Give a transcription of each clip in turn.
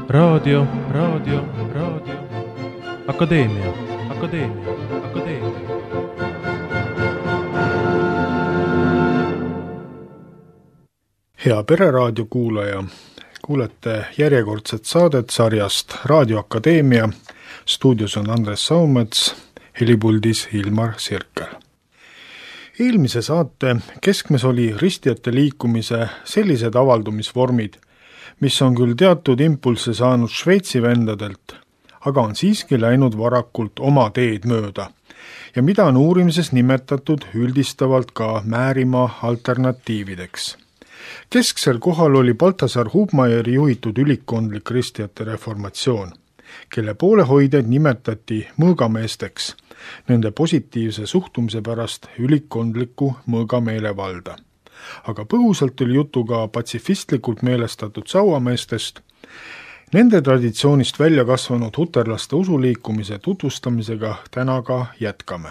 Raadio. Akadeemia. Hea Pereraadio kuulaja, kuulete järjekordset saadet sarjast Raadio Akadeemia. Stuudios on Andres Saumets, helipuldis Ilmar Sirkel. Eelmise saate keskmes oli ristijate liikumise sellised avaldumisvormid, mis on küll teatud impulsse saanud Šveitsi vendadelt, aga on siiski läinud varakult oma teed mööda ja mida on uurimises nimetatud üldistavalt ka Määrimaa alternatiivideks. Kesksel kohal oli Balthasar Hubmaieri juhitud ülikkondlik ristijate reformatsioon, kelle poolehoidjaid nimetati mõõgameesteks nende positiivse suhtumise pärast ülikkondliku mõõgameelevalda. Aga põgusalt oli juttu ka patsifistlikult meelestatud sauameestest. Nende traditsioonist välja kasvanud huterlaste usuliikumise tutvustamisega täna ka jätkame.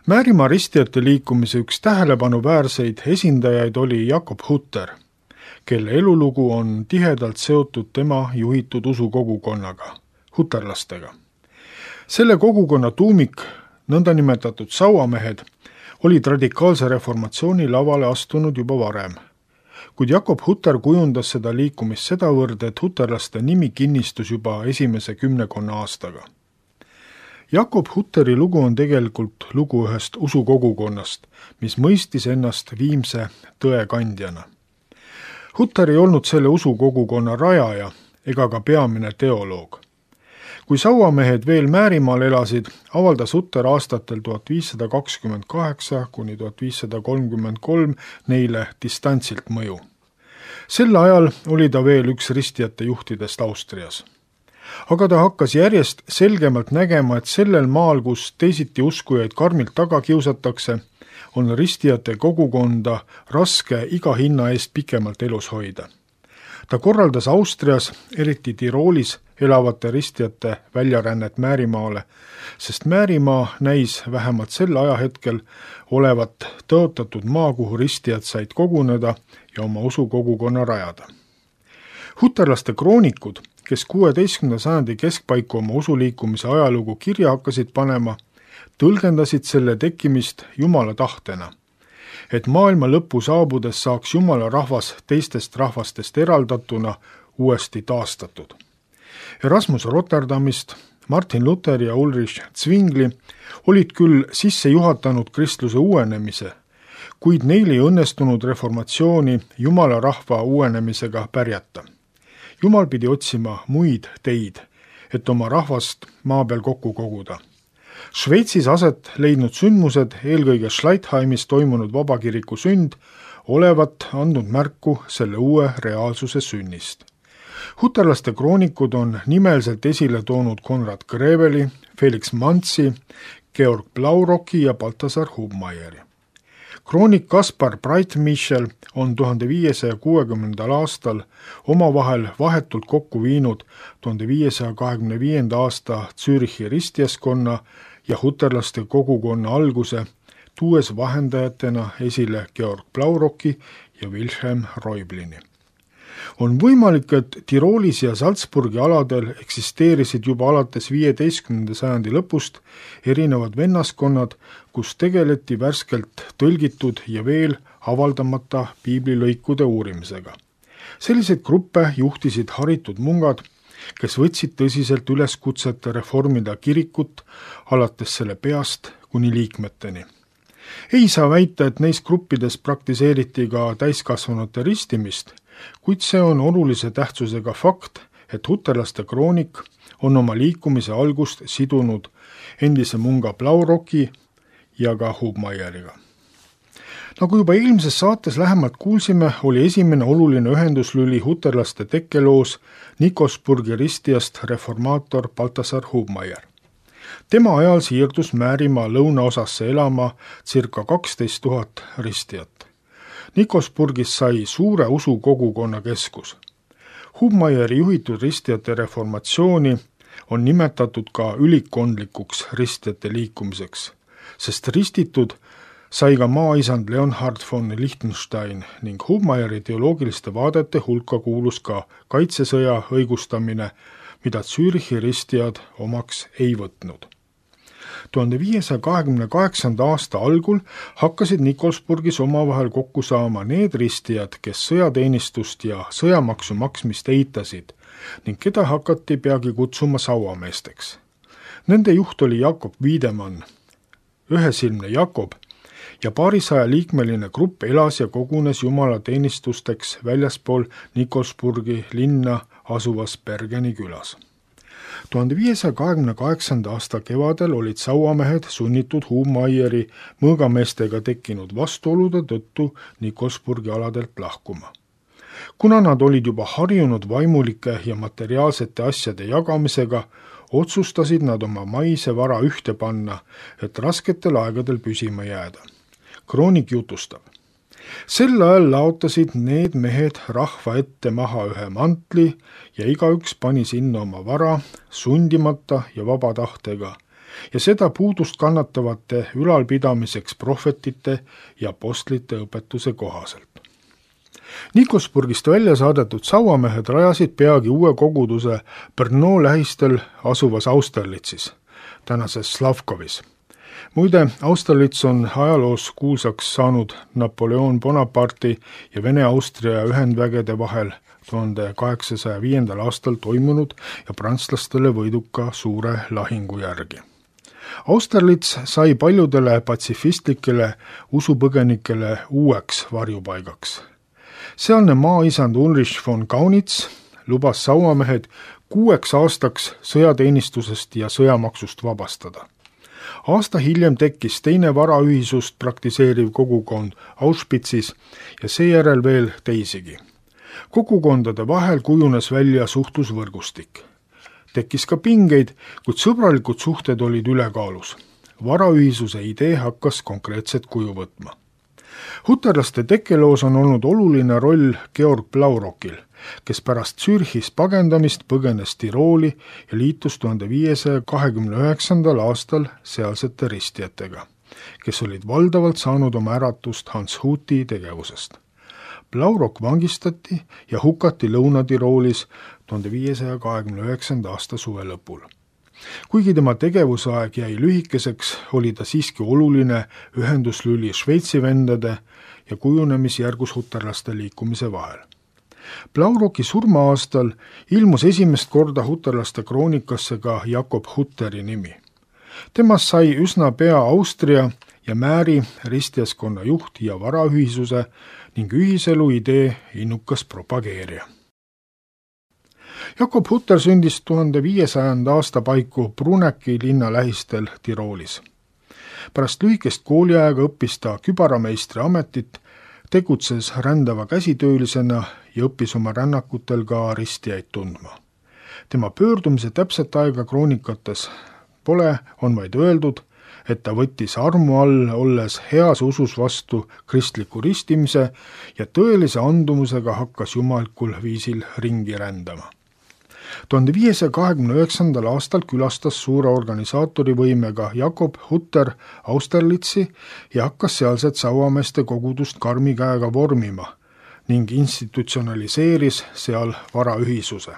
Määrimaa ristijate liikumise üks tähelepanuväärseid esindajaid oli Jakob Hutter, kelle elulugu on tihedalt seotud tema juhitud usukogukonnaga, huterlastega. Selle kogukonna tuumik, nõndanimetatud sauamehed, olid radikaalse reformatsiooni lavale astunud juba varem. Kuid Jakob Hutter kujundas seda liikumist sedavõrd, et huterlaste nimi kinnistus juba esimese 10 aastaga. Jakob Hutteri lugu on tegelikult lugu ühest usukogukonnast, mis mõistis ennast viimse tõe kandjana. Hutter ei olnud selle usukogukonna rajaja ega ka peamine teoloog. Kui sauamehed veel Määrimaal elasid, avaldas Hutter aastatel 1528–1533 neile distantsilt mõju. Sel ajal oli ta veel üks ristijate juhtidest Austrias. Aga ta hakkas järjest selgemalt nägema, et sellel maal, kus teisiti uskujaid karmilt taga kiusatakse, on ristijate kogukonda raske iga hinna eest pikemalt elus hoida. Ta korraldas Austrias, eriti Tiroolis, elavate ristijate väljarännet Määrimaale, sest Määrimaa näis vähemalt sel ajahetkel olevat tõotatud maa, kuhu ristijad said koguneda ja oma usukogukonna rajada. Huterlaste kroonikud, kes 16. sajandi keskpaiku oma usuliikumise ajalugu kirja hakkasid panema, tõlgendasid selle tekkimist Jumala tahtena, et maailma lõpu saabudes saaks Jumala rahvas teistest rahvastest eraldatuna uuesti taastatud. Erasmus Rotterdamist, Martin Luther ja Ulrich Zwingli olid küll sisse juhatanud kristluse uuenemise, kuid neil ei õnnestunud reformatsiooni Jumala rahva uuenemisega pärjata. Jumal pidi otsima muid teid, et oma rahvast maa peal kokku koguda. Šveitsis aset leidnud sündmused, eelkõige Schleitheimis toimunud vabakiriku sünd, olevat andnud märku selle uue reaalsuse sünnist. Huterlaste kroonikud on nimelselt esile toonud Konrad Greveli, Felix Manzi, Georg Blauroki ja Balthasar Hubmaieri. Kroonik Kaspar Breitmichel on 1560. aastal omavahel vahetult kokku viinud 1525. aasta Zürichi ristijaskonna ja huterlaste kogukonna alguse, tuues vahendajatena esile Georg Blauroki ja Wilhelm Reublini. On võimalik, et Tiroolis ja Salzburgi aladel eksisteerisid juba alates 15. sajandi lõpust erinevad vennaskonnad, kus tegeleti värskelt tõlgitud ja veel avaldamata piiblilõikude uurimisega. Selliseid gruppe juhtisid haritud mungad, kes võtsid tõsiselt üleskutset reformida kirikut alates selle peast kuni liikmeteni. Ei saa väita, et neis gruppides praktiseeriti ka täiskasvanute ristimist, kuid see on olulise tähtsusega fakt, et huterlaste kroonik on oma liikumise algust sidunud endise munga Blauroki ja ka Hubmaieriga. Nagu juba eelmises saates lähemalt kuulsime, oli esimene oluline ühenduslüli huterlaste tekkeloos Nikosburgi ristijast reformaator Balthasar Hubmaier. Tema ajal siirdus Määrimaa lõunaosasse elama circa 12 000 ristijat. Nikosburgis sai suure usukogukonna keskus. Hubmaieri juhitud ristijate reformatsiooni on nimetatud ka ülikkondlikuks ristijate liikumiseks, sest ristitud sai ka maaisand Leonhard von Liechtenstein ning Hubmeieri teoloogiliste vaadete hulka kuulus ka kaitsesõja õigustamine, mida Zürichi ristijad omaks ei võtnud. 1528. aasta algul hakkasid Nikolsburgis omavahel kokku saama need ristijad, kes sõjateenistust ja sõjamaksu maksmist eitasid ning keda hakati peagi kutsuma sauameesteks. Nende juht oli Jakob Wiedemann, ühesilmne Jakob, ja paarisaja liikmeline grupp elas ja kogunes jumalateenistusteks väljaspool Nikolsburgi linna asuvas Bergeni külas. 1528. aasta kevadel olid sauamehed sunnitud Hubmeieri mõõgameestega tekkinud vastuolude tõttu Nikolsburgi aladelt lahkuma. Kuna nad olid juba harjunud vaimulike ja materiaalsete asjade jagamisega, otsustasid nad oma maise vara ühte panna, et rasketel aegadel püsima jääda. Kroonik jutustab. Sel ajal laotasid need mehed rahva ette maha ühe mantli ja igaüks pani sinna oma vara sundimata ja vaba tahtega ja seda puudust kannatavate ülalpidamiseks prohvetite ja apostlite õpetuse kohaselt. Nikolsburgist välja saadetud sauamehed rajasid peagi uue koguduse Brno lähistel asuvas Austerlitzis, tänases Slavkovis. Muide, Austerlitz on ajaloos kuulsaks saanud Napoleon Bonaparte'i ja Vene-Austria ühendvägede vahel 1805. aastal toimunud ja prantslastele võiduka suure lahingu järgi. Austerlitz sai paljudele patsifistlikele usupõgenikele uueks varjupaigaks. Sealne maaisand Ulrich von Kaunitz lubas sauamehed 6 aastaks sõjateenistusest ja sõjamaksust vabastada. Aasta hiljem tekkis teine varaühisust praktiseeriv kogukond Auschwitzis ja seejärel veel teisigi. Kogukondade vahel kujunes välja suhtlusvõrgustik. Tekkis ka pingeid, kuid sõbralikud suhted olid ülekaalus. Varaühisuse idee hakkas konkreetset kuju võtma. Huterlaste tekkeloos on olnud oluline roll Georg Blaurokil, kes pärast Zürichist pagendamist põgenes Tirooli ja liitus 1529. aastal sealsete ristijatega, kes olid valdavalt saanud oma äratust Hans Huti tegevusest. Blaurok vangistati ja hukati Lõuna-Tiroolis 1529. aasta suve lõpul. Kuigi tema tegevusaeg jäi lühikeseks, oli ta siiski oluline ühenduslüli Šveitsi vendade ja kujunemisjärgus huterlaste liikumise vahel. Blauroki surma-aastal ilmus esimest korda huterlaste kroonikasse ka Jakob Hutteri nimi. Temast sai üsna pea Austria ja Määri ristijaskonna juht ja varaühisuse ning ühiselu idee innukas propageerija. Jakob Hutter sündis 1500. aasta paiku Bruneki linna lähistel Tiroolis. Pärast lühikest kooliaega õppis ta kübarameistri ametit, tegutses rändava käsitöölisena ja õppis oma rännakutel ka ristijaid tundma. Tema pöördumise täpset aega kroonikates pole, on vaid öeldud, et ta võttis armu all, olles heas usus vastu kristliku ristimise ja tõelise andumusega hakkas jumalikul viisil ringi rändama. 1529. aastal külastas suure organisaatori võimega Jakob Hutter Austerlitzi ja hakkas sealset sauameeste kogudust karmi käega vormima ning institutsionaliseeris seal varaühisuse.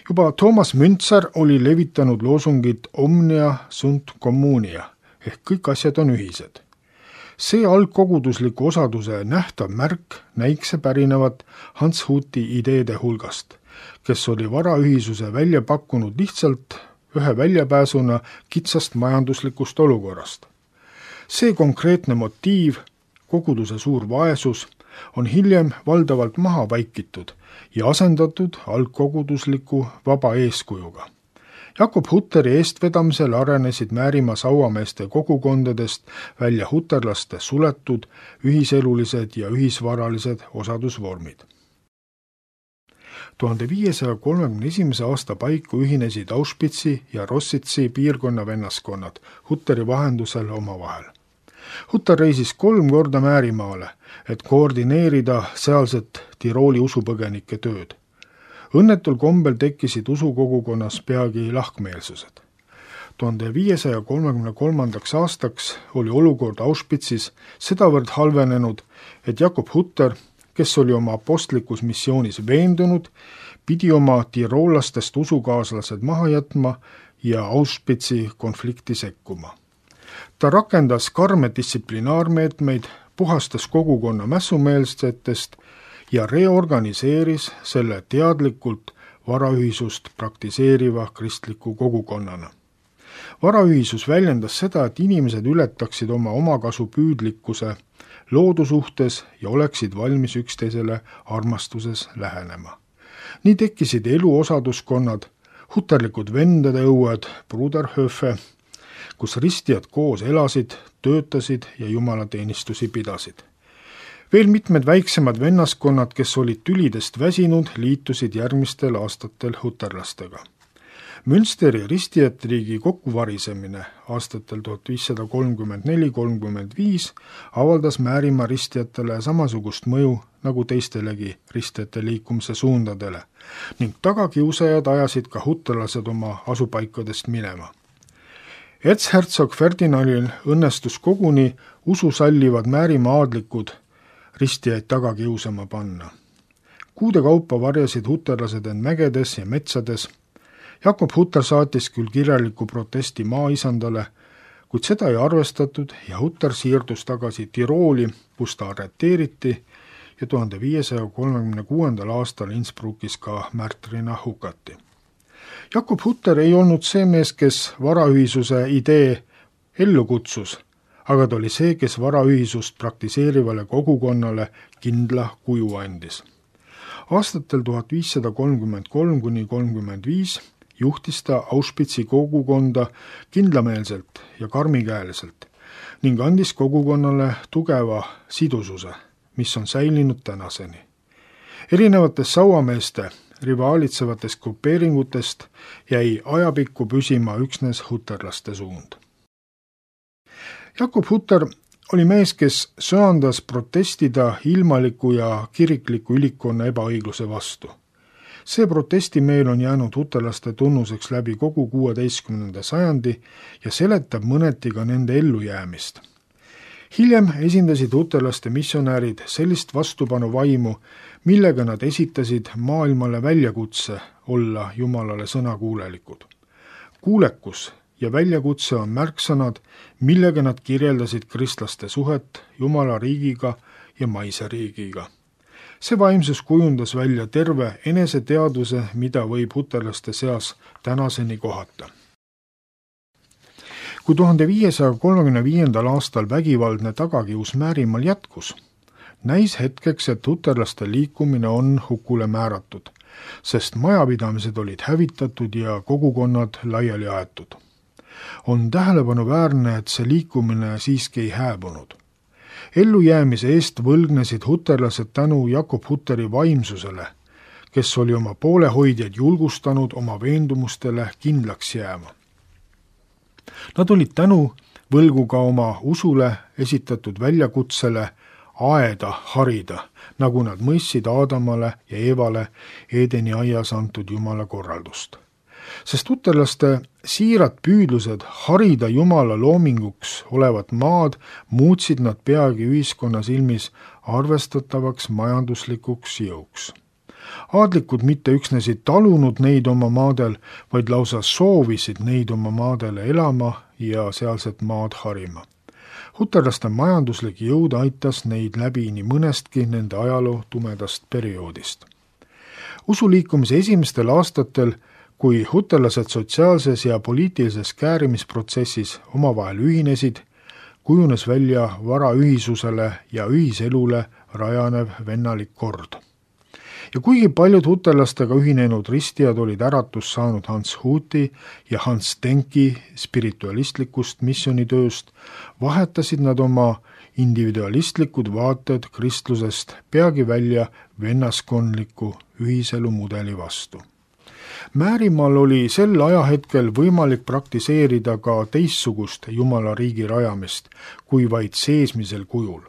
Juba Thomas Münzer oli levitanud loosungit Omnia sunt communia ehk kõik asjad on ühised. See algkogudusliku osaduse nähtav märk näikse pärinevat Hans Huti ideede hulgast, kes oli varaühisuse välja pakkunud lihtsalt ühe väljapääsuna kitsast majanduslikust olukorrast. See konkreetne motiiv, koguduse suur vaesus, on hiljem valdavalt maha vaikitud ja asendatud algkogudusliku vaba eeskujuga. Jakob Hutteri eestvedamisel arenesid Määrimaa sauameeste kogukondadest välja huterlaste suletud, ühiselulised ja ühisvaralised osadusvormid. 1531. aasta paiku ühinesid Auschwitzi ja Rossitsi piirkonna vennaskonnad Hutteri vahendusel omavahel. Hutter reisis 3 korda Määrimaale, et koordineerida sealset Tirooli usupõgenike tööd. Õnnetul kombel tekkisid usukogukonnas peagi lahkmeelsused. 1533. aastaks oli olukord Auschwitzis sedavõrd halvenenud, et Jakob Hutter, kes oli oma apostlikus missioonis veendunud, pidi oma tiroollastest usukaaslased maha jätma ja Auschwitzi konflikti sekkuma. Ta rakendas karme distsiplinaarmeetmeid, puhastas kogukonna mässumeelsetest ja reorganiseeris selle teadlikult varaühisust praktiseeriva kristliku kogukonnana. Varaühisus väljendas seda, et inimesed ületaksid oma omakasupüüdlikkuse loodu suhtes ja oleksid valmis üksteisele armastuses lähenema. Nii tekkisid eluosaduskonnad, huterlikud vendade õued, Bruderhöfe, kus ristijad koos elasid, töötasid ja jumalateenistusi pidasid. Veel mitmed väiksemad vennaskonnad, kes olid tülidest väsinud, liitusid järgmistel aastatel huterlastega. Münsteri ristijate riigi kokkuvarisemine aastatel 1534-35 avaldas Määrimaa ristijatele samasugust mõju nagu teistelegi ristijate liikumise suundadele ning tagakiusajad ajasid ka huterlased oma asupaikadest minema. Erzherzog Ferdinandil õnnestus koguni ususallivad Määrimaa aadlikud ristijaid taga kiusama panna. Kuude kaupa varjasid huterlased end mägedes ja metsades. Jakob Hutter saatis küll kirjaliku protesti maaisandale, kuid seda ei arvestatud ja Hutter siirdus tagasi Tirooli, kus ta arreteeriti ja 1536. aastal Innsbruckis ka märtrina hukati. Jakob Hutter ei olnud see mees, kes varaühisuse idee ellu kutsus, aga ta oli see, kes varaühisust praktiseerivale kogukonnale kindla kuju andis. Aastatel 1533–35 juhtis ta Auschwitzi kogukonda kindlameelselt ja karmikäeliselt ning andis kogukonnale tugeva sidususe, mis on säilinud tänaseni. Erinevates sauameeste rivaalitsevatest grupeeringutest jäi ajapikku püsima üksnes huterlaste suund. Jakob Hutter oli mees, kes söandas protestida ilmaliku ja kirikliku ülikonna ebaõigluse vastu. See protestimeel on jäänud huterlaste tunnuseks läbi kogu 16. sajandi ja seletab mõneti ka nende ellujäämist. Hiljem esindasid huterlaste missionäärid sellist vastupanuvaimu, millega nad esitasid maailmale väljakutse olla Jumalale sõnakuulelikud. Kuulekus ja väljakutse on märksõnad, millega nad kirjeldasid kristlaste suhet Jumala riigiga ja maise riigiga. See vaimsus kujundas välja terve eneseteadvuse, mida võib huterlaste seas tänaseni kohata. Kui 1535. aastal vägivaldne tagakius Määrimaal jätkus, näis hetkeks, et huterlaste liikumine on hukule määratud, sest majapidamised olid hävitatud ja kogukonnad laiali aetud. On tähelepanuväärne, et see liikumine siiski ei hääbunud. Ellujäämise eest võlgnesid huterlased tänu Jakob Hutteri vaimsusele, kes oli oma poolehoidjaid julgustanud oma veendumustele kindlaks jääma. Nad olid tänu võlgu ka oma usule esitatud väljakutsele aeda harida, nagu nad mõistsid Aadamale ja Eevale Eedeni aias antud Jumala korraldust. Sest huterlaste siirad püüdlused harida Jumala loominguks olevat maad muutsid nad peagi ühiskonna silmis arvestatavaks majanduslikuks jõuks. Aadlikud mitte üksnes ei talunud neid oma maadel, vaid lausa soovisid neid oma maadele elama ja sealset maad harima. Huterlaste majanduslik jõud aitas neid läbi nii mõnestki nende ajaloo tumedast perioodist. Usuliikumise esimestel aastatel, kui huterlased sotsiaalses ja poliitilises käärimisprotsessis omavahel ühinesid, kujunes välja varaühisusele ja ühiselule rajanev vennalik kord. Ja kuigi paljud huterlastega ühinenud ristijad olid äratus saanud Hans Huti ja Hans Denki spiritualistlikust missionitööst, vahetasid nad oma individualistlikud vaated kristlusest peagi välja vennaskondliku ühiselu mudeli vastu. Määrimaal oli sel ajahetkel võimalik praktiseerida ka teistsugust Jumala riigi rajamist kui vaid seesmisel kujul.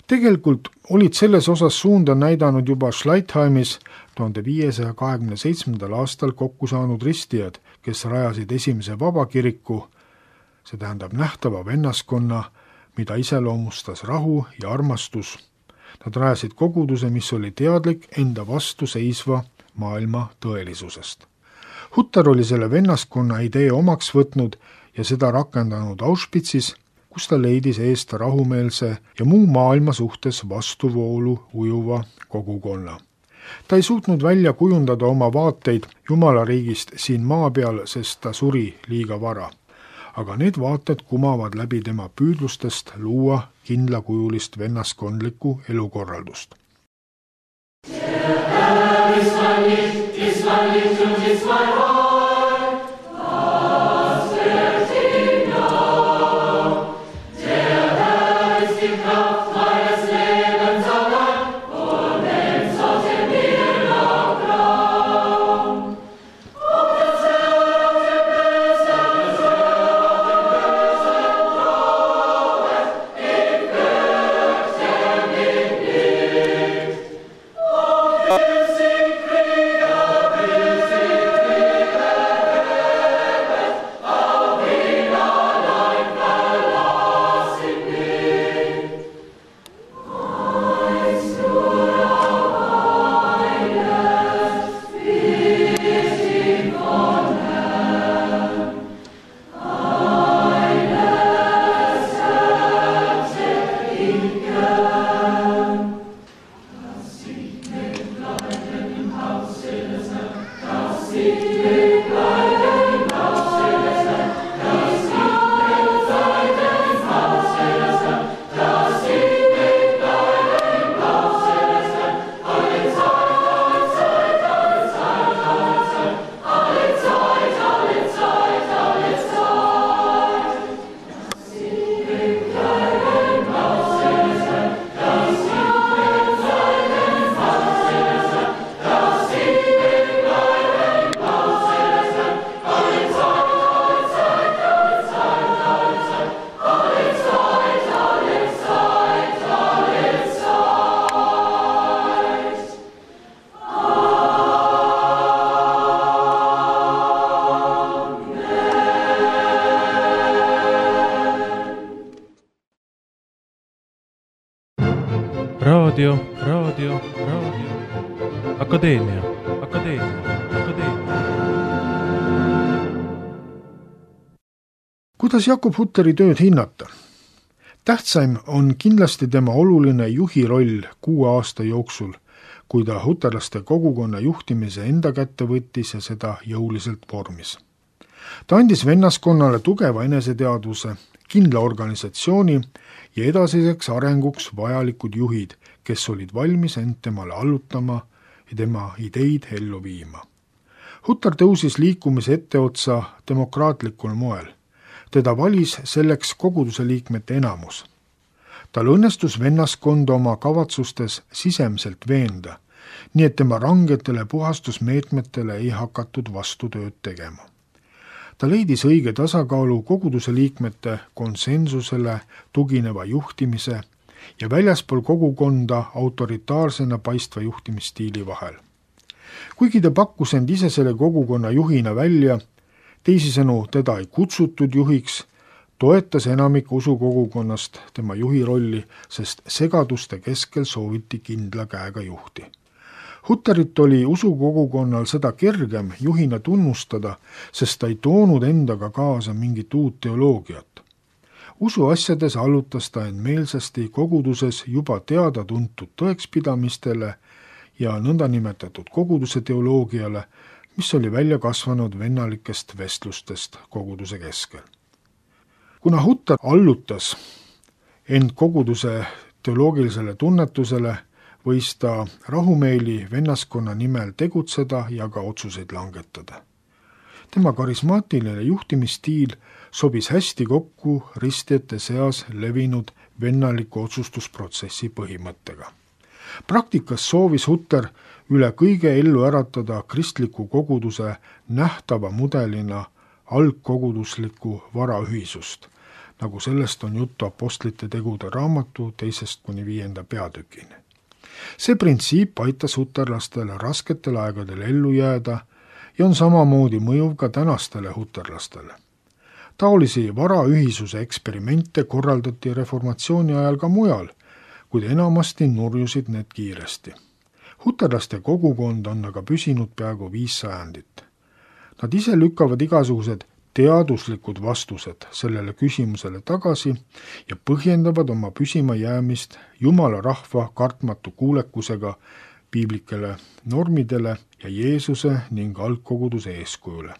Tegelikult olid selles osas suunda näidanud juba Schleitheimis 1527. aastal kokku saanud ristijad, kes rajasid esimese vabakiriku, see tähendab nähtava vennaskonna, mida iseloomustas rahu ja armastus. Nad rajasid koguduse, mis oli teadlik enda vastu seisva maailma tõelisusest. Hutter oli selle vennaskonna idee omaks võtnud ja seda rakendanud Auschwitzis, kus ta leidis eest rahumeelse ja muu maailma suhtes vastuvoolu ujuva kogukonna. Ta ei suutnud välja kujundada oma vaateid Jumalariigist siin maa peal, sest ta suri liiga vara. Aga need vaated kumavad läbi tema püüdlustest luua kindlakujulist vennaskondlikku elukorraldust. Raadio. Akadeemia. Kuidas Jakob Hutteri tööd hinnata? Tähtsaim on kindlasti tema oluline juhi roll 6 aasta jooksul, kui ta huterlaste kogukonna juhtimise enda kätte võttis ja seda jõuliselt vormis. Ta andis vennaskonnale tugeva eneseteadvuse, kindla organisatsiooni ja edasiseks arenguks vajalikud juhid, kes olid valmis end temale allutama ja tema ideid ellu viima. Hutter tõusis liikumise etteotsa demokraatlikul moel. Teda valis selleks koguduse liikmete enamus. Tal õnnestus vennaskonda oma kavatsustes sisemiselt veenda, nii et tema rangetele puhastusmeetmetele ei hakatud vastutööd tegema. Ta leidis õige tasakaalu koguduse liikmete konsensusele tugineva juhtimise ja väljaspool kogukonda autoritaarsena paistva juhtimisstiili vahel. Kuigi ta pakkus end ise selle kogukonna juhina välja, teisisõnu teda ei kutsutud juhiks, toetas enamik usukogukonnast tema juhi rolli, sest segaduste keskel sooviti kindla käega juhti. Hutterit oli usukogukonnal seda kergem juhina tunnustada, sest ta ei toonud endaga kaasa mingit uut teoloogiat. Usuasjades allutas ta end meelsasti koguduses juba teada-tuntud tõekspidamistele ja nõndanimetatud koguduse teoloogiale, mis oli välja kasvanud vennalikest vestlustest koguduse keskel. Kuna Hutter allutas end koguduse teoloogilisele tunnetusele, võis ta rahumeeli vennaskonna nimel tegutseda ja ka otsuseid langetada. Tema karismaatiline juhtimisstiil sobis hästi kokku ristijate seas levinud vennaliku otsustusprotsessi põhimõttega. Praktikas soovis Hutter üle kõige ellu äratada kristliku koguduse nähtava mudelina algkoguduslikku varaühisust, nagu sellest on juttu Apostlite tegude raamatu 2-5 peatükini. See printsiip aitas huterlastele rasketel aegadel ellu jääda ja on samamoodi mõjuv ka tänastele huterlastele. Taolisi varaühisuse eksperimente korraldati reformatsiooni ajal ka mujal, kuid enamasti nurjusid need kiiresti. Huterlaste kogukond on aga püsinud peaaegu 5 sajandit. Nad ise lükkavad igasugused teaduslikud vastused sellele küsimusele tagasi ja põhjendavad oma püsima jäämist Jumala rahva kartmatu kuulekusega piiblikele normidele ja Jeesuse ning algkoguduse eeskujule.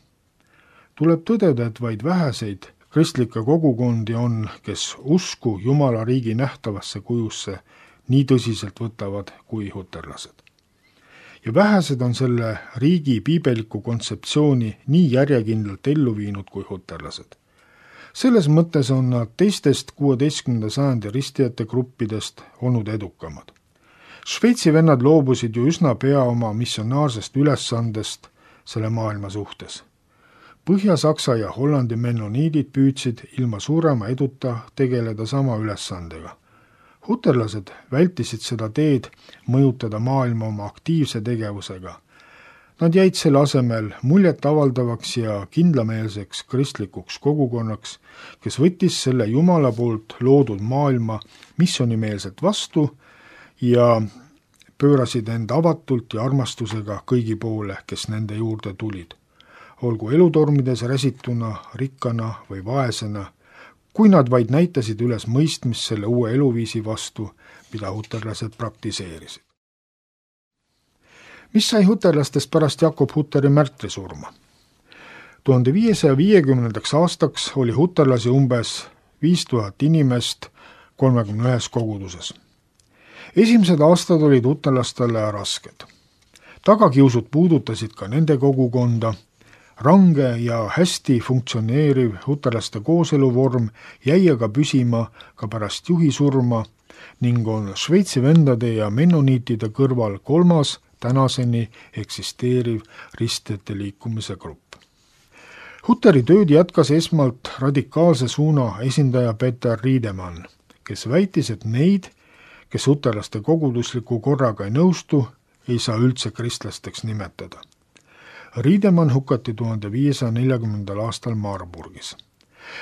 Tuleb tõdeda, et vaid väheseid kristlikke kogukondi on, kes usku Jumala riigi nähtavasse kujusse nii tõsiselt võtavad kui huterlased. Ja vähesed on selle riigi piibeliku kontseptsiooni nii järjekindlalt ellu viinud kui huterlased. Selles mõttes on nad teistest 16. sajandi ristijate gruppidest olnud edukamad. Šveitsi vennad loobusid ju üsna pea oma missionaarsest ülesandest selle maailma suhtes. Põhja-Saksa ja Hollandi mennoniidid püüdsid ilma suurema eduta tegeleda sama ülesandega. Huterlased vältisid seda teed mõjutada maailma oma aktiivse tegevusega. Nad jäid selle asemel muljet avaldavaks ja kindlameelseks kristlikuks kogukonnaks, kes võttis selle Jumala poolt loodud maailma missionimeelselt vastu ja pöörasid end avatult ja armastusega kõigi poole, kes nende juurde tulid. Olgu elutormides räsituna, rikkana või vaesena, kui nad vaid näitasid üles mõistmist selle uue eluviisi vastu, mida huterlased praktiseerisid. Mis sai huterlastest pärast Jakob Hutteri märtrisurma? 1550. aastaks oli huterlasi umbes 5000 inimest 31 koguduses. Esimesed aastad olid huterlastele rasked. Tagakiusud puudutasid ka nende kogukonda. Range ja hästi funktsioneeriv huterlaste kooseluvorm jäi aga püsima ka pärast juhi surma ning on Šveitsi vendade ja mennoniitide kõrval 3. tänaseni eksisteeriv ristijate liikumise grupp. Hutteri tööd jätkas esmalt radikaalse suuna esindaja Peter Riedemann, kes väitis, et neid, kes huterlaste kogudusliku korraga ei nõustu, ei saa üldse kristlasteks nimetada. Riedemann hukati 1540. aastal Marburgis.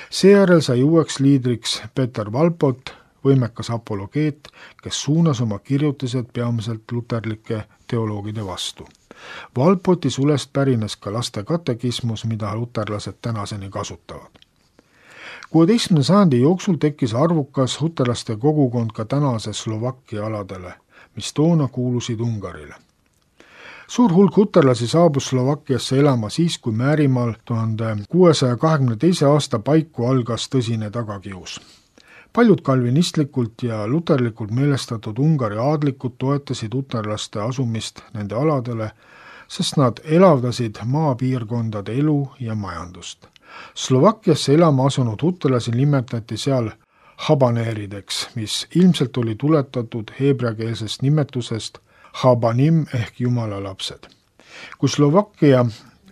Seejärel sai uueks liidriks Peter Valpot, võimekas apologeet, kes suunas oma kirjutised peamiselt luterlike teoloogide vastu. Valpoti sulest pärines ka laste katekismus, mida luterlased tänaseni kasutavad. 16. sajandi jooksul tekkis arvukas huterlaste kogukond ka tänase Slovakkia aladele, mis toona kuulusid Ungarile. Suur hulk huterlasi saabus Slovakkiasse elama siis, kui Määrimaal 1622. aasta paiku algas tõsine tagakius. Paljud kalvinistlikult ja luterlikult meelestatud Ungari aadlikud toetasid huterlaste asumist nende aladele, sest nad elavdasid maapiirkondade elu ja majandust. Slovakkiasse elama asunud huterlasi nimetati seal habaneerideks, mis ilmselt oli tuletatud heebreakeelsest nimetusest Habanim ehk Jumala lapsed. Kui Slovakkia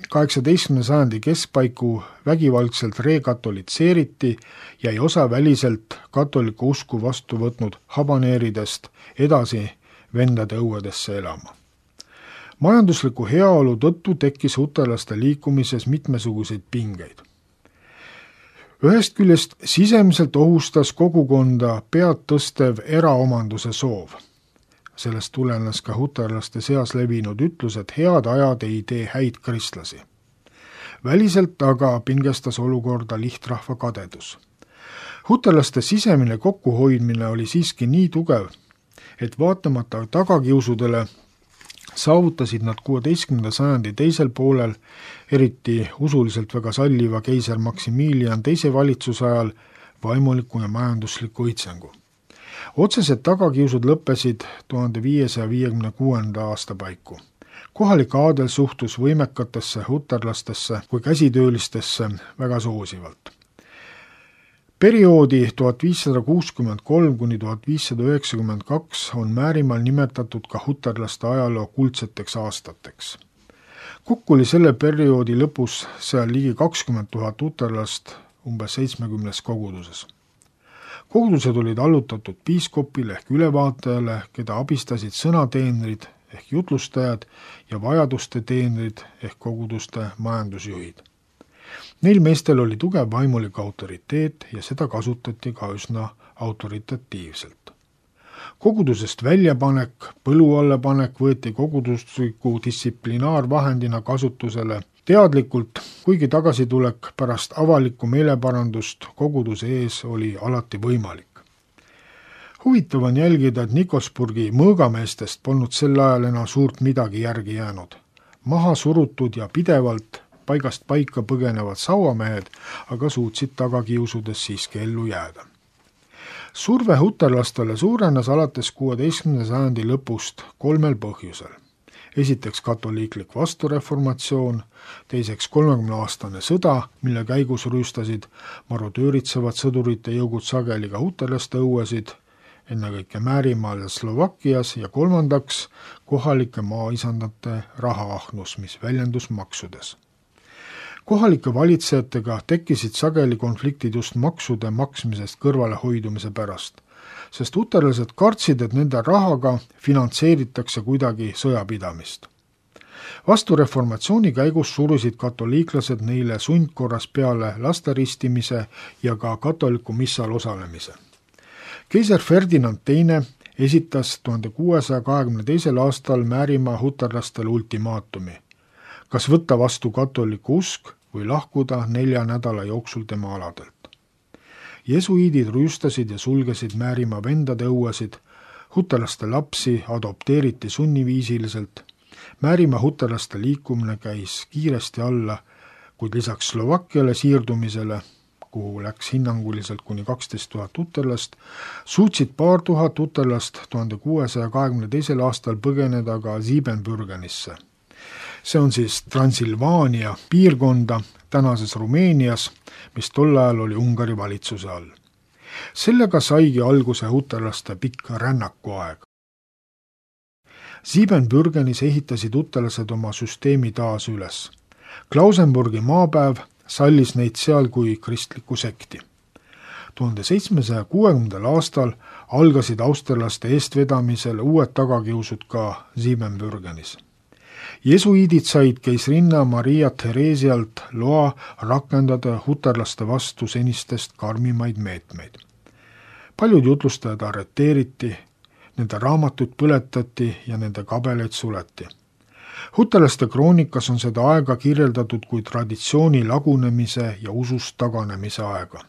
18. sajandi keskpaiku vägivaldselt rekatolitseeriti, jäi osa väliselt katoliku usku vastu võtnud habaneeridest edasi vendade õuedesse elama. Majandusliku heaolu tõttu tekkis huterlaste liikumises mitmesuguseid pingeid. Ühest küljest sisemiselt ohustas kogukonda pead tõstev eraomanduse soov. Sellest tulenes ka huterlaste seas levinud ütlus, et head ajad ei tee häid kristlasi. Väliselt aga pingestas olukorda lihtrahva kadedus. Huterlaste sisemine kokkuhoidmine oli siiski nii tugev, et vaatamata tagakiusudele saavutasid nad 16. sajandi teisel poolel, eriti usuliselt väga salliva keiser Maximilian II valitsuse ajal, vaimuliku ja majandusliku õitsengu. Otsesed tagakiusud lõppesid 1556. aasta paiku. Kohalik aadel suhtus võimekatesse huterlastesse kui käsitöölistesse väga soosivalt. Perioodi 1563 kuni 1592 on Määrimaal nimetatud ka huterlaste ajaloo kuldseteks aastateks. Kokku oli selle perioodi lõpus seal ligi 20 000 huterlast umbes 70 koguduses. Kogudused olid allutatud piiskopile ehk ülevaatajale, keda abistasid sõnateenrid ehk jutlustajad ja vajaduste teenrid ehk koguduste majandusjuhid. Neil meestel oli tugev vaimulik autoriteet ja seda kasutati ka üsna autoritatiivselt. Kogudusest väljapanek, põlu alla panek võeti kogudusliku distsiplinaarvahendina kasutusele teadlikult, kuigi tagasitulek pärast avalikku meeleparandust koguduse ees oli alati võimalik. Huvitav on jälgida, et Nikosburgi mõõgameestest polnud sel ajal enam suurt midagi järgi jäänud. Maha surutud ja pidevalt paigast paika põgenevad sauamehed aga suutsid tagakiusudes siiski ellu jääda. Surve huterlastele suurenes alates 16. sajandi lõpust 3 põhjusel. Esiteks katoliiklik vastureformatsioon, teiseks 30-aastane sõda, mille käigus rüüstasid marodööritsevad sõdurite jõugud sageli ka huterlaste õuesid, ennekõike Määrimaal ja Slovakkias, ja kolmandaks kohalike maaisandate rahaahnus, mis väljendus maksudes. Kohalike valitsejatega tekkisid sageli konfliktid just maksude maksmisest kõrvale hoidumise pärast, sest huterlased kartsid, et nende rahaga finantseeritakse kuidagi sõjapidamist. Vastureformatsiooni käigus surusid katoliiklased neile sundkorras peale lasteristimise ja ka katoliku missal osalemise. Keiser Ferdinand II esitas 1622. aastal Määrimaa huterlastele ultimaatumi, kas võtta vastu katoliku usk või lahkuda 4 nädala jooksul tema aladelt. Jesuiidid rüüstasid ja sulgesid Määrimaa vendade õuesid, huterlaste lapsi adopteeriti sunniviisiliselt, Määrimaa huterlaste liikumine käis kiiresti alla, kuid lisaks Slovakkiale siirdumisele, kuhu läks hinnanguliselt kuni 12 000 huterlast, suutsid paar tuhat huterlast 1622. aastal põgeneda ka Siebenbürgenisse. See on siis Transilvaania piirkonda tänases Rumeenias, mis tol ajal oli Ungari valitsuse all. Sellega saigi alguse huterlaste pikk rännakuaeg. Siebenbürgenis ehitasid huterlased oma süsteemi taas üles. Klausenburgi maapäev sallis neid seal kui kristlikku sekti. 1760. aastal algasid austerlaste eestvedamisel uued tagakiusud ka Siebenbürgenis. Jesuiidid said keisrinna Maria Theresialt loa rakendada huterlaste vastu senistest karmimaid meetmeid. Paljud jutlustajad arreteeriti, nende raamatud põletati ja nende kabeleid suleti. Huterlaste kroonikas on seda aega kirjeldatud kui traditsiooni lagunemise ja usust taganemise aega.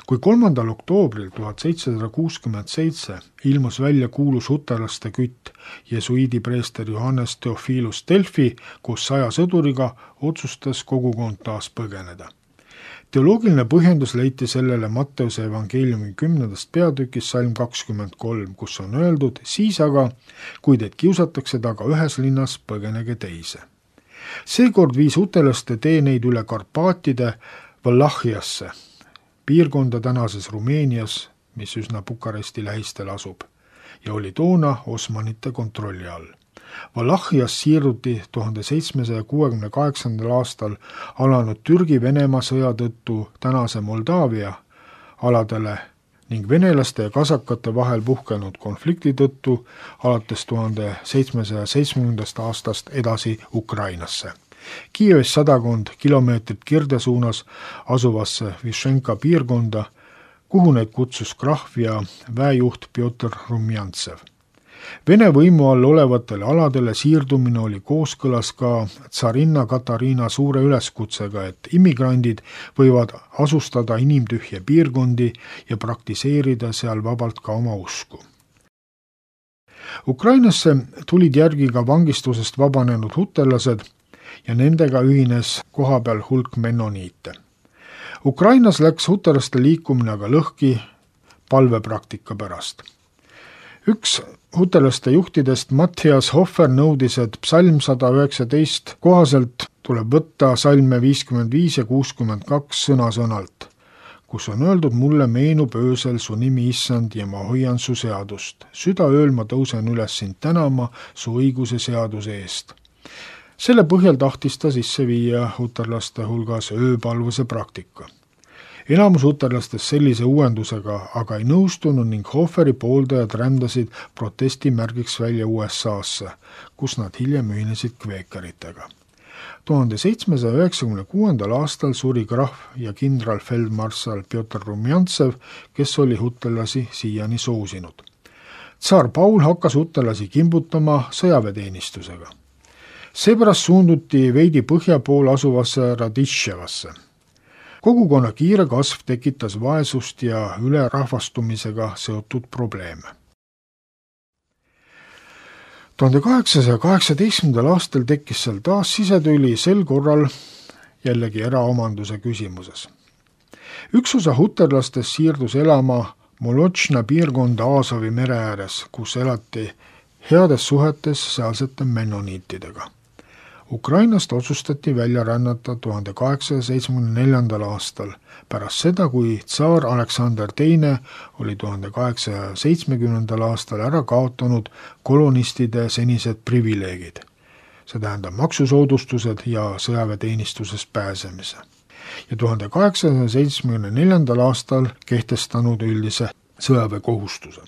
Kui 3. oktoobril 1767 ilmus välja kuulus huterlaste kütt, jesuiidi preester Johannes Theophilus Delfi koos 100 sõduriga otsustas kogukond taas põgeneda. Teoloogiline põhjendus leiti sellele Matteuse evangeeliumi 10. peatükis salm 23, kus on öeldud, siis aga, kui teid kiusatakse taga ühes linnas, põgenege teise. Seekord viis huterlaste tee neid üle Karpaatide Valahhiasse, piirkonda tänases Rumeenias, mis üsna Bukaresti lähistel asub, ja oli toona Osmanite kontrolli all. Valahhias siirduti 1768. aastal alanud Türgi-Venemaa sõja tõttu tänase Moldaavia aladele ning venelaste ja kasakate vahel puhkenud konflikti tõttu alates 1770. aastast edasi Ukrainasse. Kiievist 100 kilomeetrit kirde suunas asuvasse Višenka piirkonda, kuhu neid kutsus krahv ja väejuht Pjotr Rumjantsev. Vene võimu all olevatele aladele siirdumine oli kooskõlas ka tsarinna Katariina suure üleskutsega, et immigrandid võivad asustada inimtühje piirkondi ja praktiseerida seal vabalt ka oma usku. Ukrainasse tulid järgi ka vangistusest vabanenud huterlased ja nendega ühines kohapeal hulk mennoniite. Ukrainas läks huterlaste liikumine aga lõhki palvepraktika pärast. Üks huterlaste juhtidest Matthias Hofer nõudis, et psalm 119 kohaselt tuleb võtta salme 55 ja 62 sõna-sõnalt, kus on öeldud, mulle meenub öösel su nimi issand ja ma hoian su seadust. Südaööl ma tõusen üles sind tänama su õiguse seaduse eest. Selle põhjal tahtis ta sisse viia huterlaste hulgas ööpalvuse praktika. enamus uterlastest sellise uuendusega aga ei nõustunud ning Hoferi pooldajad rändasid protestimärgiks välja USA-sse, kus nad hiljem ühinesid kveekeritega. 1796. aastal suri krahv ja kindralfeldmarssal Pjotr Rumjantsev, kes oli hutelasi siiani soosinud. Tsaar Paul hakkas hutelasi kimbutama sõjaväeteenistusega. Seepärast suunduti veidi põhja pool asuvasse Raditševasse. Kogukonna kiire kasv tekitas vaesust ja ülerahvastumisega seotud probleeme. 1818. aastal tekkis seal taas sisetüli, sel korral jällegi eraomanduse küsimuses. Üks osa huterlastest siirdus elama Molotšna piirkonda Aasovi mere ääres, kus elati heades suhetes sealsete mennoniitidega. Ukrainast otsustati välja rännata 1874. aastal, pärast seda, kui tsaar Aleksander II oli 1870. aastal ära kaotanud kolonistide senised privileegid, see tähendab maksusoodustused ja sõjaväeteenistusest pääsemise, ja 1874. aastal kehtestanud üldise sõjaväekohustuse.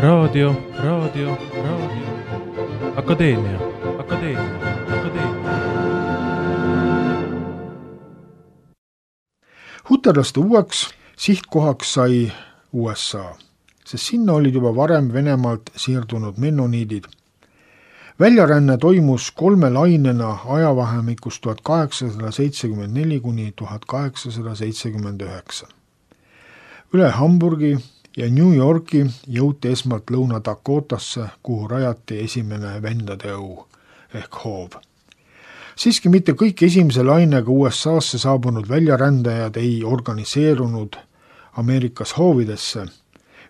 Raadio. Akadeemia. Huterlaste uueks sihtkohaks sai USA, sest sinna olid juba varem Venemaalt siirdunud mennoniidid. Väljaränne toimus 3 lainena ajavahemikus 1874 kuni 1879. Üle Hamburgi ja New Yorki jõuti esmalt Lõuna-Dakotasse, kuhu rajati esimene vendade õu ehk hoov. Siiski mitte kõik esimese lainega USA'sse saabunud väljarändajad ei organiseerunud Ameerikas hoovidesse.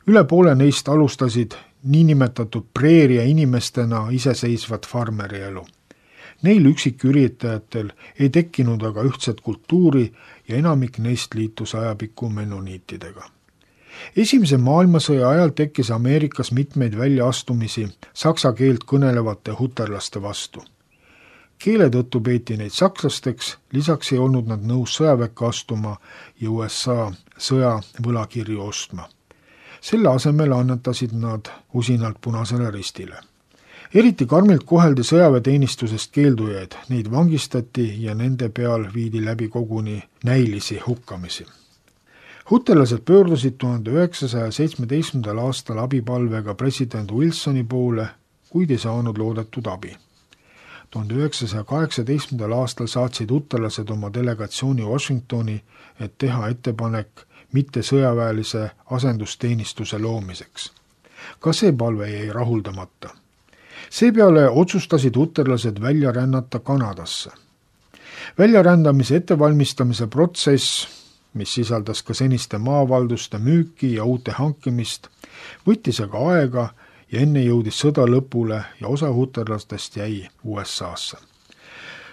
Üle poole neist alustasid niinimetatud preeria inimestena iseseisvat farmerielu. Neil üksiküritajatel ei tekkinud aga ühtset kultuuri ja enamik neist liitus ajapikku mennoniitidega. Esimese maailmasõja ajal tekkis Ameerikas mitmeid väljaastumisi saksa keelt kõnelevate huterlaste vastu. Keele tõttu peeti neid sakslasteks, lisaks ei olnud nad nõus sõjaväkke astuma ja USA sõja võlakirju ostma. Selle asemel annetasid nad usinalt Punasele Ristile. Eriti karmilt koheldi sõjaväeteenistusest keeldujaid, neid vangistati ja nende peal viidi läbi koguni näilisi hukkamisi. Huterlased pöördusid 1917. aastal abipalvega president Wilsoni poole, kuid ei saanud loodetud abi. 1918. aastal saatsid huterlased oma delegatsiooni Washingtoni, et teha ettepanek mitte sõjaväelise asendusteenistuse loomiseks. Ka see palve jäi rahuldamata. Seepeale otsustasid huterlased välja rännata Kanadasse. Väljarändamise ettevalmistamise protsess, mis sisaldas ka seniste maavalduste müüki ja uute hankimist, võttis aga aega ja enne jõudis sõda lõpule ja osa huterlastest jäi USA'sse.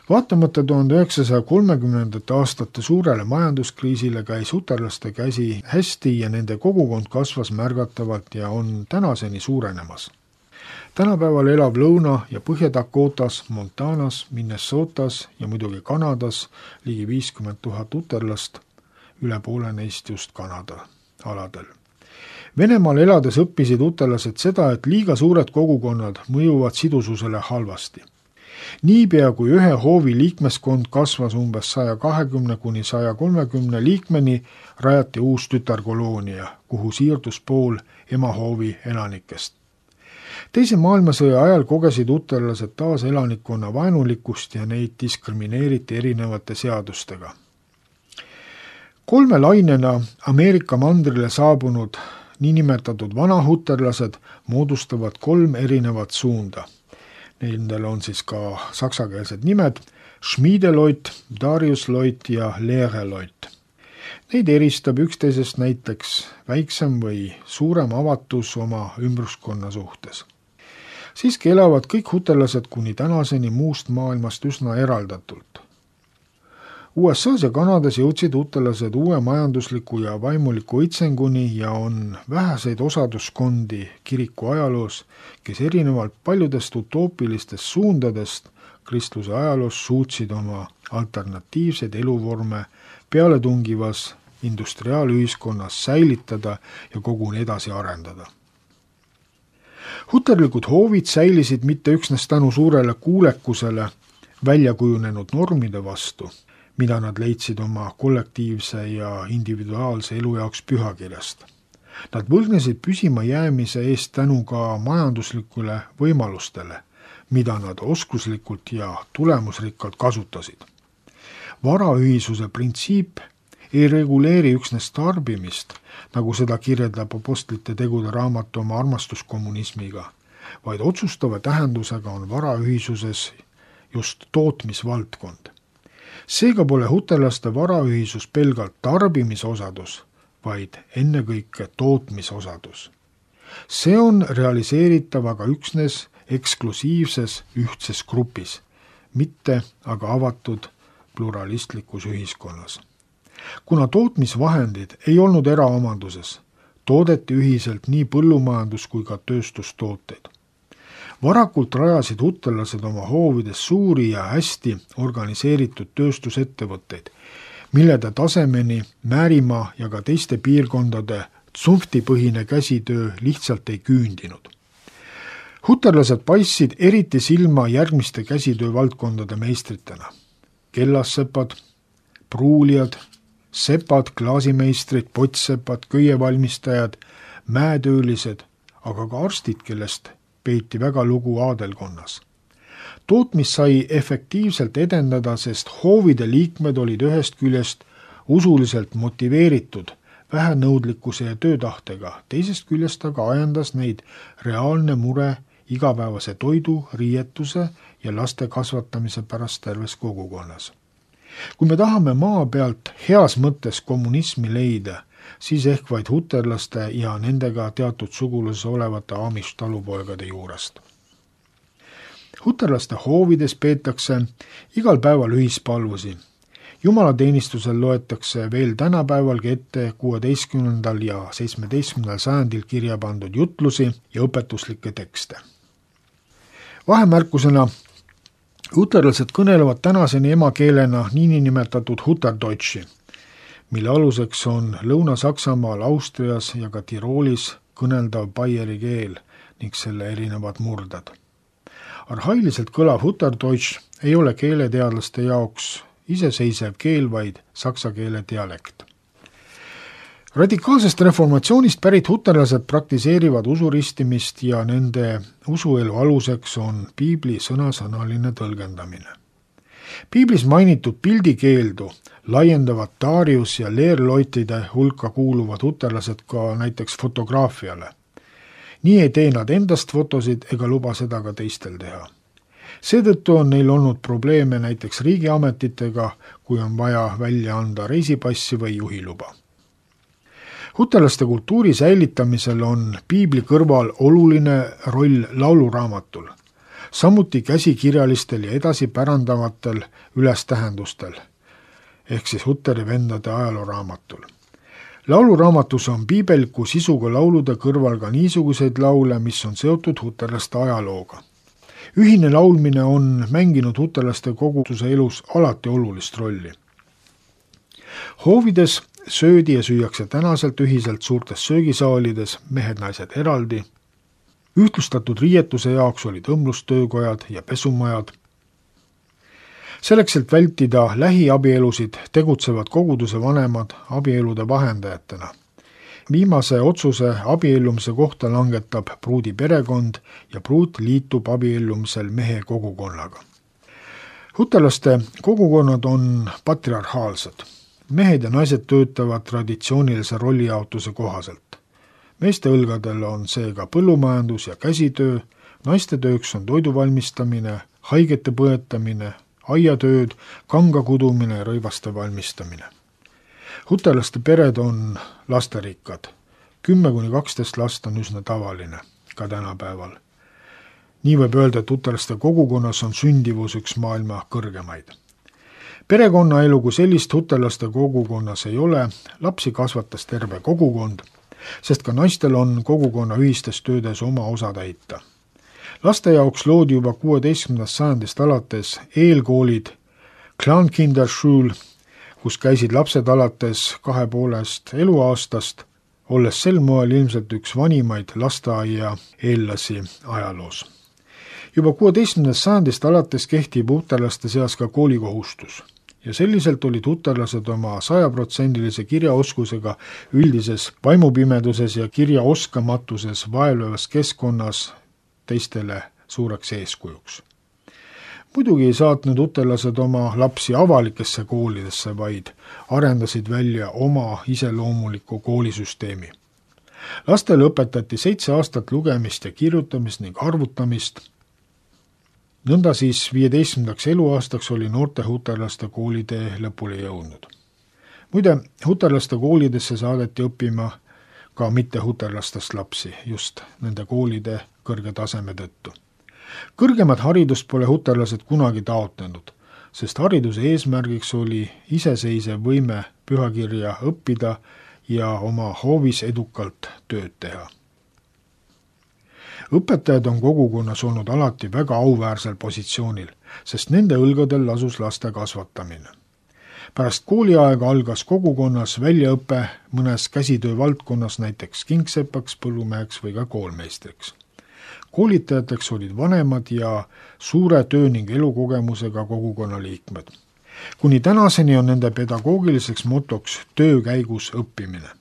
Vaatamata 1930. aastate suurele majanduskriisile käis huterlaste käsi hästi ja nende kogukond kasvas märgatavalt ja on tänaseni suurenemas. Tänapäeval elab Lõuna- ja Põhja-Dakotas, Montanas, Minnesotas ja muidugi Kanadas ligi 50 000 huterlast, üle poole neist just Kanada aladel. Venemaal elades õppisid huterlased seda, et liiga suured kogukonnad mõjuvad sidususele halvasti. Niipea kui ühe hoovi liikmeskond kasvas umbes 120 kuni 130 liikmeni, rajati uus tütarkoloonia, kuhu siirdus pool emahoovi elanikest. Teise maailmasõja ajal kogesid huterlased taas elanikkonna vaenulikkust ja neid diskrimineeriti erinevate seadustega. 3 lainena Ameerika mandrile saabunud niinimetatud vanahuterlased moodustavad 3 erinevat suunda. Nendel on siis ka saksakeelsed nimed Schmiedeloit, Dariusloit ja Leereloit. Neid eristab üksteisest näiteks väiksem või suurem avatus oma ümbruskonna suhtes. Siiski elavad kõik huterlased kuni tänaseni muust maailmast üsna eraldatult. USA's ja Kanadas jõudsid huterlased uue majandusliku ja vaimuliku õitsenguni ja on väheseid osaduskondi kiriku ajaloos, kes erinevalt paljudest utoopilistest suundadest kristluse ajaloos suutsid oma alternatiivseid eluvorme pealetungivas industriaalühiskonnas säilitada ja koguni edasi arendada. Huterlikud hoovid säilisid mitte üksnes tänu suurele kuulekusele välja kujunenud normide vastu, mida nad leidsid oma kollektiivse ja individuaalse elu jaoks pühakirjast. Nad võlgnesid püsima jäämise eest tänu ka majanduslikule võimalustele, mida nad oskuslikult ja tulemusrikkalt kasutasid. Varaühisuse printsiip ei reguleeri üksnes tarbimist, nagu seda kirjeldab Apostlite tegude raamat oma armastuskommunismiga, vaid otsustava tähendusega on varaühisuses just tootmisvaldkond. Seega pole huterlaste varaühisus pelgalt tarbimisosadus, vaid ennekõike tootmisosadus. See on realiseeritav aga üksnes eksklusiivses ühtses grupis, mitte aga avatud pluralistlikus ühiskonnas. Kuna tootmisvahendid ei olnud eraomanduses, toodeti ühiselt nii põllumajandus- kui ka tööstustooteid. Varakult rajasid huterlased oma hoovides suuri ja hästi organiseeritud tööstusettevõtteid, mille tasemeni Määrimaa ja ka teiste piirkondade tsunftipõhine käsitöö lihtsalt ei küündinud. Huterlased paistsid eriti silma järgmiste käsitöövaldkondade meistritena. Kellassepad, pruulijad, sepad, klaasimeistrid, pottsepad, köievalmistajad, mäetöölised, aga ka arstid, kellest peeti väga lugu aadelkonnas. Tootmist sai efektiivselt edendada, sest hoovide liikmed olid ühest küljest usuliselt motiveeritud vähenõudlikkuse ja töötahtega, teisest küljest aga ajendas neid reaalne mure igapäevase toidu, riietuse ja laste kasvatamise pärast terves kogukonnas. Kui me tahame maa pealt heas mõttes kommunismi leida, siis ehk vaid huterlaste ja nendega teatud suguluses olevate Amish talupoegade juurest. Huterlaste hoovides peetakse igal päeval ühispalvusi. Jumalateenistusel loetakse veel tänapäevalgi ette 16. ja 17. sajandil kirja pandud jutlusi ja õpetuslikke tekste. Vahemärkusena, huterlased kõnelevad tänaseni emakeelena niinimetatud Huterdeutshi, mille aluseks on Lõuna-Saksamaal, Austrias ja ka Tiroolis kõneldav baieri keel ning selle erinevad murdad. Arhailiselt kõlav Huterdeutsch ei ole keeleteadlaste jaoks iseseisev keel, vaid saksa keele dialekt. Radikaalsest reformatsioonist pärit huterlased praktiseerivad usuristimist ja nende usuelu aluseks on piibli sõnasõnaline tõlgendamine. Piiblis mainitud pildikeeldu laiendavad Darius ja leerloitide hulka kuuluvad huterlased ka näiteks fotograafiale. Nii ei tee nad endast fotosid ega luba seda ka teistel teha. Seetõttu on neil olnud probleeme näiteks riigiametitega, kui on vaja välja anda reisipassi või juhiluba. Huterlaste kultuuri säilitamisel on piibli kõrval oluline roll lauluraamatul, samuti käsikirjalistel ja edasipärandavatel ülestähendustel, ehk siis Huteri vendade ajalooraamatul. Lauluraamatus on piibeliku sisuga laulude kõrval ka niisuguseid laule, mis on seotud huterlaste ajalooga. Ühine laulmine on mänginud huterlaste koguduse elus alati olulist rolli. Hoovides söödi ja süüakse tänaselt ühiselt suurtes söögisaalides, mehed-naised eraldi. Ühtlustatud riietuse jaoks olid õmblustöökojad ja pesumajad. Selleks, et vältida lähiabielusid, tegutsevad koguduse vanemad abielude vahendajatena. Viimase otsuse abiellumise kohta langetab pruudi perekond ja pruut liitub abiellumisel mehe kogukonnaga. Huterlaste kogukonnad on patriarhaalsed. Mehed ja naised töötavad traditsioonilise rollijaotuse kohaselt. Meeste õlgadel on seega põllumajandus ja käsitöö, naiste tööks on toidu valmistamine, haigete põetamine, aiatööd, kanga kudumine ja rõivaste valmistamine. Huterlaste pered on lasterikkad. 10–12 last on üsna tavaline, ka tänapäeval. Nii võib öelda, et huterlaste kogukonnas on sündivus üks maailma kõrgemaid. Perekonnaelu kui sellist huterlaste kogukonnas ei ole, lapsi kasvatas terve kogukond, sest ka naistel on kogukonna ühistes töödes oma osa täita. Laste jaoks loodi juba 16. sajandist alates eelkoolid Klankinderschule, kus käisid lapsed alates 2,5 eluaastast, olles sel moel ilmselt üks vanimaid lasteaia eellasi ajaloos. Juba 16. sajandist alates kehtib huterlaste seas ka koolikohustus ja selliselt olid huterlased oma 100% kirjaoskusega üldises vaimupimeduses ja kirjaoskamatuses vaevlevas keskkonnas teistele suureks eeskujuks. Muidugi ei saatnud huterlased oma lapsi avalikesse koolidesse, vaid arendasid välja oma iseloomuliku koolisüsteemi. Lastele õpetati 7 aastat lugemist ja kirjutamist ning arvutamist. Nõnda siis 15. eluaastaks oli noorte huterlaste koolitee lõpule jõudnud. Muide, huterlaste koolidesse saadeti õppima ka mitte huterlastest lapsi, just nende koolide kõrge taseme tõttu. Kõrgemat haridust pole huterlased kunagi taotlenud, sest hariduse eesmärgiks oli iseseisev võime pühakirja õppida ja oma hoovis edukalt tööd teha. Õpetajad on kogukonnas olnud alati väga auväärsel positsioonil, sest nende õlgadel lasus laste kasvatamine. Pärast kooliaega algas kogukonnas väljaõpe mõnes käsitöö valdkonnas, näiteks kingsepaks, põllumeheks või ka koolmeistriks. Koolitajateks olid vanemad ja suure töö ning elukogemusega kogukonna liikmed. Kuni tänaseni on nende pedagoogiliseks motoks töö käigus õppimine.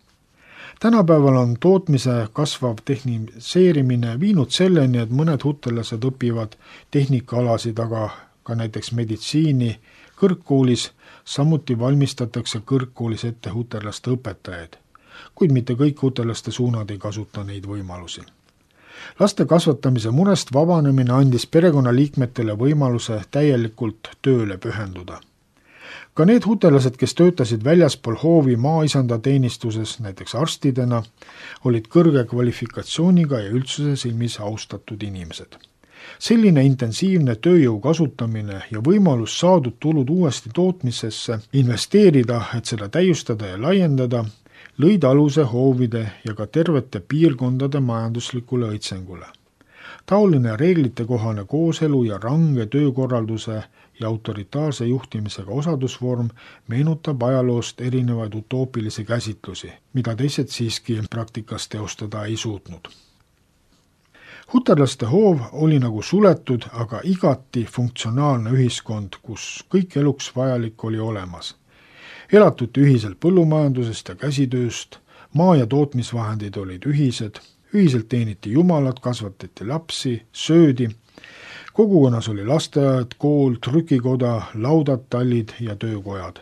Tänapäeval on tootmise kasvav tehniliseerimine viinud selleni, et mõned hutelased õpivad tehnikaalasid, aga ka näiteks meditsiini kõrgkoolis, samuti valmistatakse kõrgkoolis ette hutelaste õpetajaid, kuid mitte kõik hutelaste suunad ei kasuta neid võimalusi. Laste kasvatamise murest vabanemine andis perekonnaliikmetele võimaluse täielikult tööle pühenduda. Ka need hutelased, kes töötasid väljaspool hoovi maaisanda teenistuses, näiteks arstidena, olid kõrge kvalifikatsiooniga ja üldsuse silmis austatud inimesed. Selline intensiivne tööjõu kasutamine ja võimalus saadud tulud uuesti tootmisesse investeerida, et seda täiustada ja laiendada, lõid aluse hoovide ja ka tervete piirkondade majanduslikule õitsengule. Taoline reeglitekohane kooselu ja range töökorralduse ja autoritaarse juhtimisega osadusvorm meenutab ajaloost erinevaid utoopilisi käsitlusi, mida teised siiski praktikas teostada ei suutnud. Huterlaste hoov oli nagu suletud, aga igati funktsionaalne ühiskond, kus kõik eluks vajalik oli olemas. Elatuti ühiselt põllumajandusest ja käsitööst, maa- ja tootmisvahendid olid ühised, ühiselt teeniti jumalat, kasvatati lapsi, söödi. Kogukonnas oli lasteaed, kool, trükikoda, laudad, tallid ja töökojad.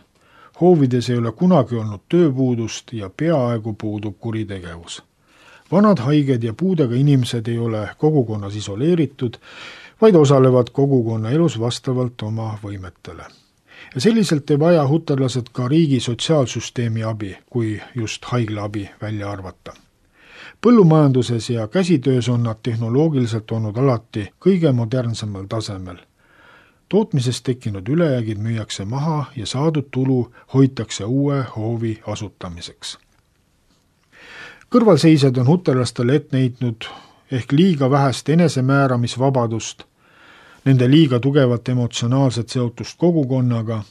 Hoovides ei ole kunagi olnud tööpuudust ja peaaegu puudub kuritegevus. Vanad, haiged ja puudega inimesed ei ole kogukonnas isoleeritud, vaid osalevad kogukonna elus vastavalt oma võimetele. Ja selliselt ei vaja huterlased ka riigi sotsiaalsüsteemi abi, kui just haiglaabi välja arvata. Põllumajanduses ja käsitöös on nad tehnoloogiliselt olnud alati kõige modernsemal tasemel. Tootmisest tekkinud ülejäägid müüakse maha ja saadud tulu hoitakse uue hoovi asutamiseks. Kõrvalseisjad on huterlastele ette heitnud ehk liiga vähest enesemääramisvabadust, nende liiga tugevat emotsionaalset seotust kogukonnaga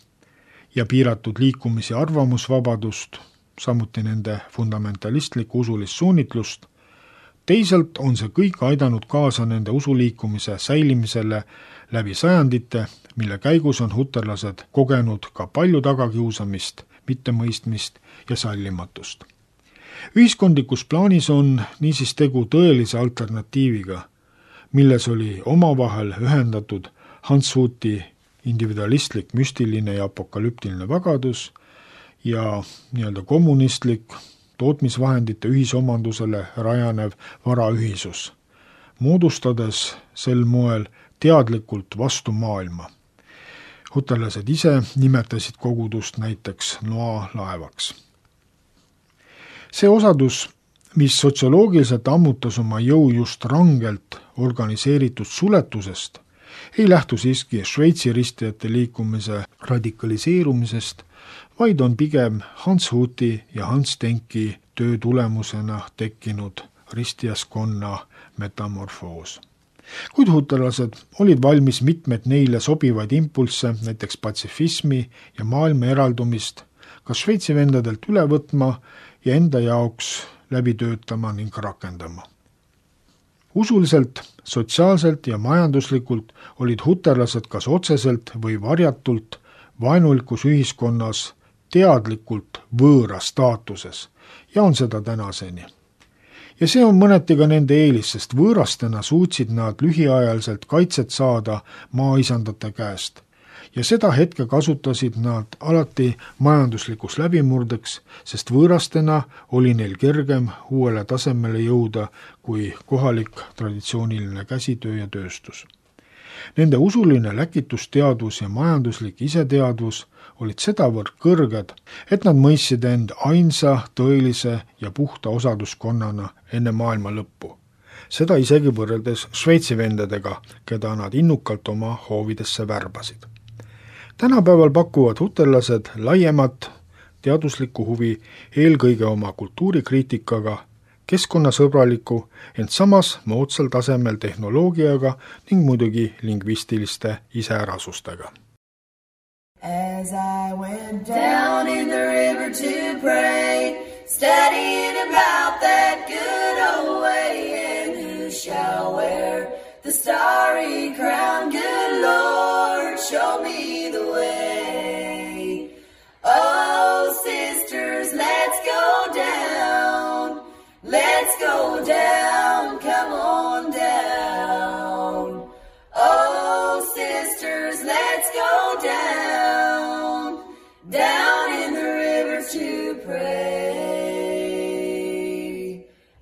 ja piiratud liikumis- ja arvamusvabadust, samuti nende fundamentalistlikku usulist suunitlust. Teisalt on see kõik aidanud kaasa nende usuliikumise säilimisele läbi sajandite, mille käigus on huterlased kogenud ka palju tagakiusamist, mittemõistmist ja sallimatust. Ühiskondlikus plaanis on niisiis tegu tõelise alternatiiviga, milles oli omavahel ühendatud Hanshuti individualistlik, müstiline ja apokalüptiline vagadus ja kommunistlik, tootmisvahendite ühisomandusele rajanev varaühisus, moodustades sel moel teadlikult vastu maailma. Huterlased ise nimetasid kogudust näiteks Noa laevaks. See osadus, mis sotsioloogiliselt ammutas oma jõu just rangelt organiseeritud suletusest, ei lähtu siiski Šveitsi ristijate liikumise radikaliseerumisest, vaid on pigem Hans Huti ja Hans Denki töö tulemusena tekkinud ristijaskonna metamorfoos. Kuid huterlased olid valmis mitmed neile sobivaid impulsse, näiteks patsifismi ja maailma eraldumist, ka Šveitsi vendadelt üle võtma ja enda jaoks läbi töötama ning rakendama. Usuliselt, sotsiaalselt ja majanduslikult olid huterlased kas otseselt või varjatult vaenulikus ühiskonnas teadlikult võõra staatuses ja on seda tänaseni. Ja see on mõneti ka nende eelis, sest võõrastena suutsid nad lühiajaliselt kaitset saada maaisandate käest. Ja seda hetke kasutasid nad alati majanduslikus läbimurdeks, sest võõrastena oli neil kergem uuele tasemele jõuda kui kohalik traditsiooniline käsitöö ja tööstus. Nende usuline läkitusteadvus ja majanduslik iseteadvus olid sedavõrd kõrged, et nad mõistsid end ainsa, tõelise ja puhta osaduskonnana enne maailma lõppu. Seda isegi võrreldes Šveitsi vendadega, keda nad innukalt oma hoovidesse värbasid. Tänapäeval pakuvad huterlased laiemat teaduslikku huvi eelkõige oma kultuurikriitikaga, keskkonnasõbraliku, ent samas moodsal tasemel tehnoloogiaga ning muidugi lingvistiliste iseärasustega. As I went down in the river to pray, studying about that good old way, and who shall wear the starry crown? Good Lord, show me the way. Oh, sisters, let's go down. Let's go down, come on down. Oh, sisters, let's go down, down in the river to pray.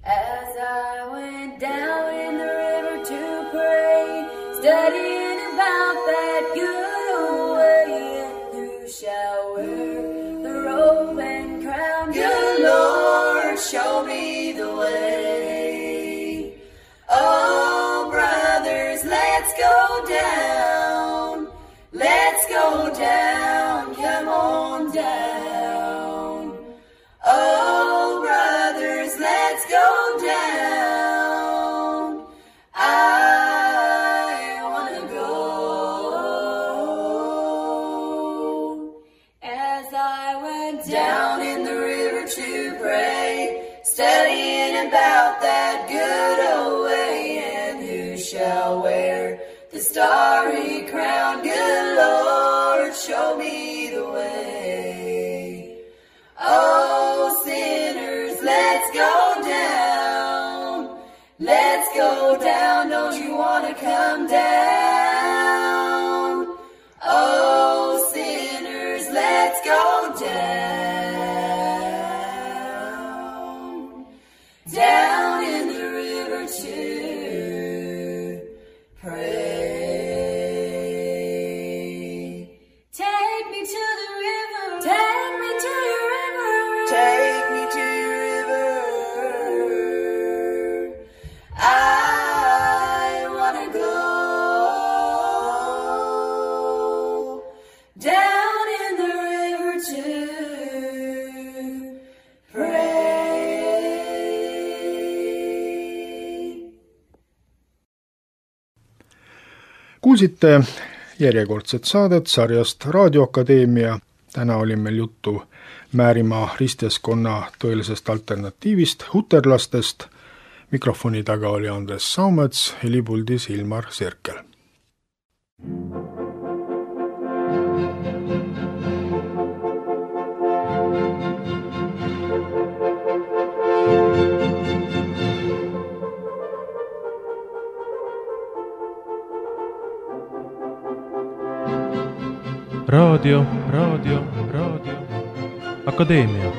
As I went down in the river to pray, studying about that good old way, and who shall wear the robe and crown? Good Lord, show me the way. Oh, brothers, let's go down. Let's go down, come on down. Oh, brothers, let's go down. I want to go. As I went down in the river to pray, studying about that good old way, and who shall wear the starry crown? Good Lord, show me the way. Oh, sinners, let's go down. Let's go down, don't you want to come down? Oh, sinners, let's go down. Down in the river to pray. Take me to the river. Take me to your river. Take me to your river. I want to go down in the river to pray. Kuulsite järjekordset saadet sarjast Raadioakadeemia. Täna oli meil juttu Määrimaa ristjaskonna tõelisest alternatiivist, huterlastest. Mikrofoni taga oli Andres Saumets, helipuldis Ilmar Sirkel. Raadio. Akadeemia.